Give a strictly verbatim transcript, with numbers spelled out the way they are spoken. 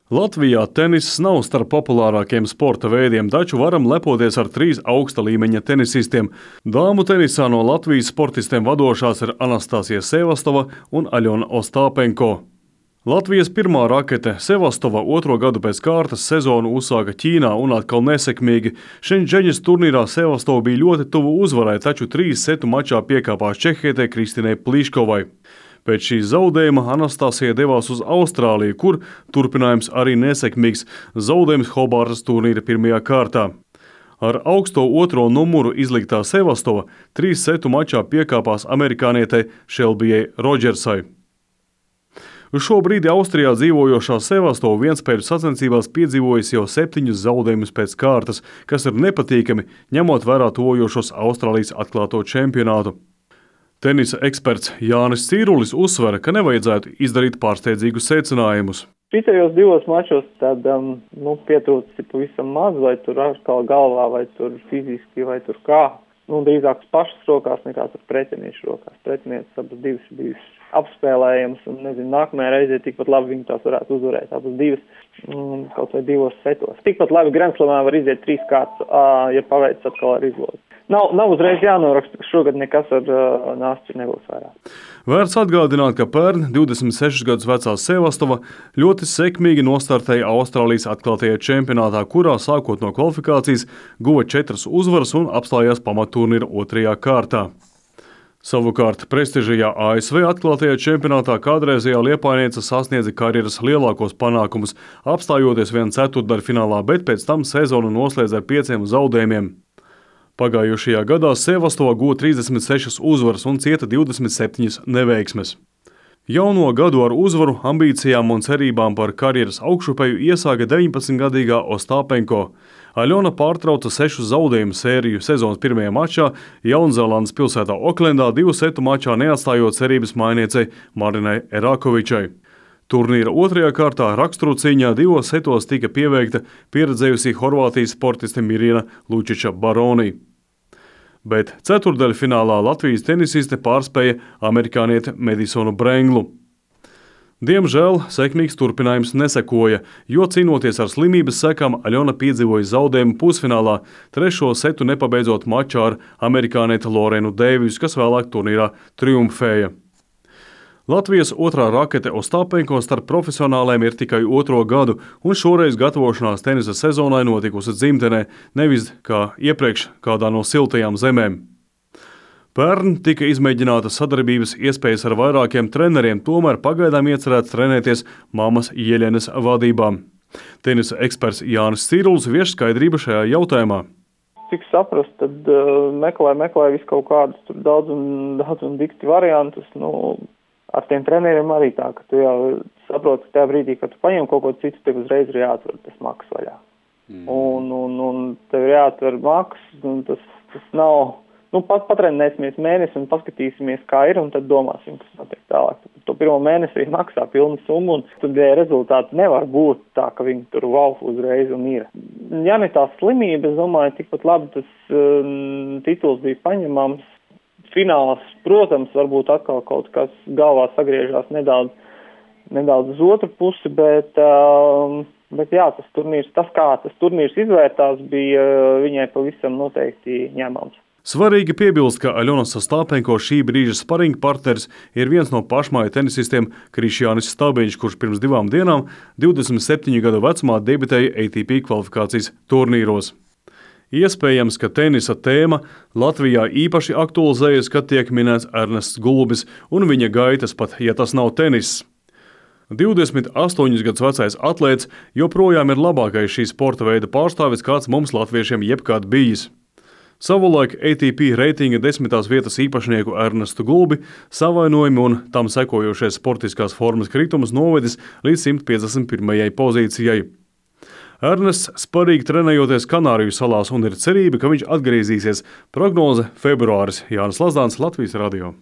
Latvijā teniss nav starp populārākiem sporta veidiem, taču varam lepoties ar trīs augsta līmeņa tenisistiem. Dāmu tenisā no Latvijas sportistiem vadošās ir Anastasija Sevastova un Aļona Ostāpenko. Latvijas pirmā rakete Sevastova otro gadu pēc kārtas sezonu uzsāka Ķīnā un atkal nesekmīgi. Šenžeņas turnīrā Sevastova bija ļoti tuvu uzvarai, taču trīs setu mačā piekāpās čehietei Kristinai Pliškovai. Pēc šīs zaudējuma Anastasija devās uz Austrāliju, kur turpinājums arī nesekmīgs zaudējums Hobārtas turnīra pirmajā kārtā. Ar augsto otro numuru izliktā Sevastova trīs setu mačā piekāpās amerikānietei Šelbijai Rodžersai. Uz šo brīdi Austrijā dzīvojošā Sevastova vienspēļu sacensībās piedzīvojas jau septiņus zaudējumus pēc kārtas, kas ir nepatīkami, ņemot vērā tojošos Austrālijas atklāto čempionātu. Tenisa eksperts Jānis Cīrulis uzsver, ka nevajadzētu izdarīt pārsteidzīgus secinājumus. Šitajos divos mačos tad um, nu, pietrūcis pavisam maz, vai tur atkal galvā, vai tur fiziski, vai tur kā. Nu, drīzāk pašas rokās nekā tur pretiniešu rokās. Pretinieces abas divas bijis apspēlējams, un nezinu, nākamajā reizē tikpat labi viņi tās varētu uzvarēt. Abas divas, mm, kaut vai divos setos. Tikpat labi Grenslamā var iziet trīs kārtas, ja paveic atkal ar izlozi. Nav, nav uzreiz jānoraksta, ka šogad nekas ar uh, nāstri nebūs vairāk. Vērts atgādināt, ka pērn divdesmit sešus gadus vecā Sevastova ļoti sekmīgi nostartēja Austrālijas atklātajā čempionātā, kurā sākot no kvalifikācijas guva četras uzvaras un apstājās pamatturnīra otrajā kārtā. Savukārt prestižajā A S V atklātajā čempionātā kādreizējā liepājniece sasniedza karjeras lielākos panākumus, apstājoties vien ceturtdaļfinālā, bet pēc tam sezonu noslēdz ar pieciem zaudējumiem. Pagājušajā gadā Sevastova guva trīsdesmit sešas uzvaras un cieta divdesmit septiņas neveiksmes. Jauno gadu ar uzvaru, ambīcijām un cerībām par karjeras augšupeju iesāka deviņpadsmitgadīgā Ostāpenko. Aļona pārtrauca sešu zaudējumu sēriju sezonas pirmajā mačā Jaunzēlandes pilsētā Oklendā divu setu mačā neatstājot cerības mājniecei Marinai Erakovičai. Turnīra otrajā kārtā raksturu cīņā divos setos tika pieveikta pieredzējusī Horvātijas sportiste Mirjana Lučiča Baroni. Bet ceturtdaļfinālā Latvijas tenisiste pārspēja amerikānieti Medisonu Brenglu. Diemžēl sekmīgs turpinājums nesekoja, jo cīnoties ar slimības sekām Aļona piedzīvoja zaudējumu pusfinālā, trešo setu nepabeidzot mačā ar amerikānieti Lorenu Deivisu, kas vēlāk turnīrā triumfēja. Latvijas otrā rakete Ostāpenko starp profesionāliem ir tikai otro gadu, un šoreiz gatavošanās tenisa sezonai notikusi dzimtenē, nevis kā iepriekš kādā no siltajām zemēm. Pērn tika izmēģinātas sadarbības iespējas ar vairākiem treneriem, tomēr pagaidām iecerēts trenēties mammas Jeļenes vadībā. Tenisa eksperts Jānis Cīrulis vieš skaidrību šajā jautājumā. Cik saprast, tad uh, meklē, meklē visu kaut kādus tur daudz un, daudz un dikti variantus, nu, ar tiem treneriem arī tā, ka tu jau saproti, ka tajā brīdī, kad tu paņem kaut ko citu, tev uzreiz ir jāatver tas maks vaļā. Mm. Un, un, un tev ir jāatver maks, un tas, tas nav, nu, pat patrenēsimies mēnesi un paskatīsimies, kā ir, un tad domāsim, kas notiek tālāk. To pirmo mēnesi arī maksā pilnu summu, un tad rezultāti nevar būt tā, ka viņi tur valf uzreiz un ir. Ja ne tā slimība, es domāju, tikpat labi tas um, tituls bija paņemams. Fināls, protams, varbūt atkal kaut kas galvā sagriežās nedaudz, nedaudz uz otru pusi, bet, um, bet jā, tas turnīrs, tas kā tas turnīrs izvērtās, bija viņai pavisam noteikti ņemams. Svarīgi piebilst, ka Aļonas Ostāpenko šī brīža sparinga partneris ir viens no pašmāju tenisistiem Krišjānis Stabiņš, kurš pirms divām dienām divdesmit septiņu gadu vecumā debitēja A T P kvalifikācijas turnīros. Iespējams, ka tenisa tēma Latvijā īpaši aktualizējas, kad tiek minēts Ernests Gulbis un viņa gaitas, pat ja tas nav teniss. divdesmit astoņus gadus vecais atlēts joprojām ir labākais šī sporta veida pārstāvis, kāds mums latviešiem jebkad bijis. Savulaik A T P reitinga desmitās vietas īpašnieku Ernestu Gulbi savainojumi un tam sekojošais sportiskās formas kritums novedis līdz simt piecdesmit pirmajai pozīcijai. Ernests sparīgi trenējoties Kanāriju salās un ir cerība, ka viņš atgriezīsies. Prognoze februāris. Jānis Lazdāns, Latvijas radio.